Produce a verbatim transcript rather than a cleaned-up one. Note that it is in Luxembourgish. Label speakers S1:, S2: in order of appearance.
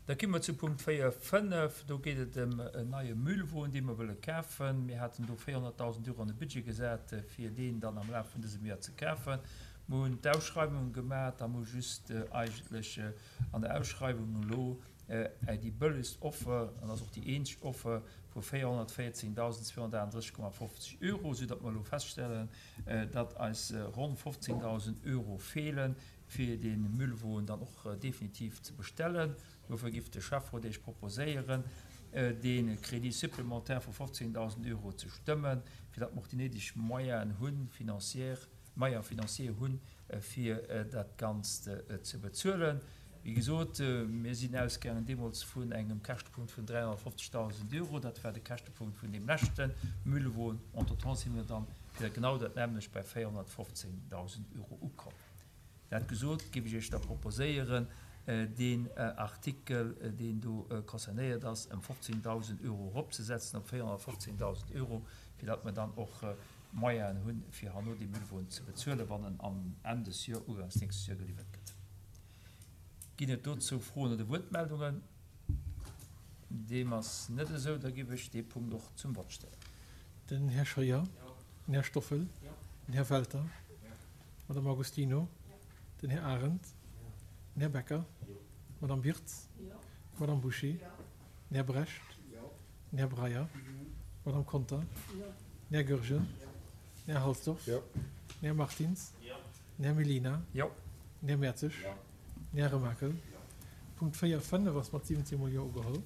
S1: Da komme mer zu Punkt véier, fënnef. Do geet et ëm en neie Müllwon, dee mer wëlle kafen. Mir haten do véierhonnertdausend Euro an de Budget gesat, fir deen dann am Laf vun dësem Joer ze kafen. Mer hunn d'Ausschreiwung gemaach a mer hu just eigentlech an der Ausschreiwung elo déi bëllegst Offer, an dat ass och déi eenzeg Offer, vu véierhonnertvéierzéngdausend zweehonnertaachunddrësseg Komma fofzeg Euro, soudatt mer elo feststellen, datt eis ronn fofzéngdausend Euro feelen, fir dee Müllwon dann och definitiv ze bestellen. Dofir giff de Schäfferot Iech proposéieren, dee Crédit supplémentaire vu fofzéngdausend Euro ze stëmmen, fir datt mer och déi néideg Moyenen hunn, financière, Moyens financiers hunn, fir dat Ganzt ze bezuelen. Wéi gesot, mir sinn ausgaangen deemools vun engem Käschtepunkt vun dräihonnertfofzegdausend Euro. Dat war de Käschtepunkt vun deem leschte Müllwon. Entretemps si mir dann fir genau dat nämmlecht bei véierhonnertfofzéngdausend Euro ukomm. Dat gesot, géif ech Iech da proposéieren, deen Artikel, deen do concernéiert ass, ëm fofzéngdausend Euro eropzesetzen op véierhonnertfofzéngdausend Euro, fir datt mer dann och Moyenen hunn, fir herno dee Müllwon ze bezuelen, wann en am Enn des Joer, ugangs nächstes Joer geliwwert gëtt. Ginn et dozou Froen oder Wuertmeldungen? Deem ass net esou. Da géif ech dee Punkt och zum Vott stellen.
S2: Den Här Scheuer. Den Här Stoffel. Den Här Welter. D'Madame Agostino. Den Här Arendt. Den Här Becker. D'Madame Wirtz. D'Madame Bouché. Den Här Brecht. Den Här Breyer. D'Madame Conter. Den Här Goergen. Den Här Halsdorf. Den Här Martins. Den Här Mellina. Den Här Mertzig. Den Här Remakel. Punkt véier, fënnef ass mat siwwenzéng mol Jo ugeholl.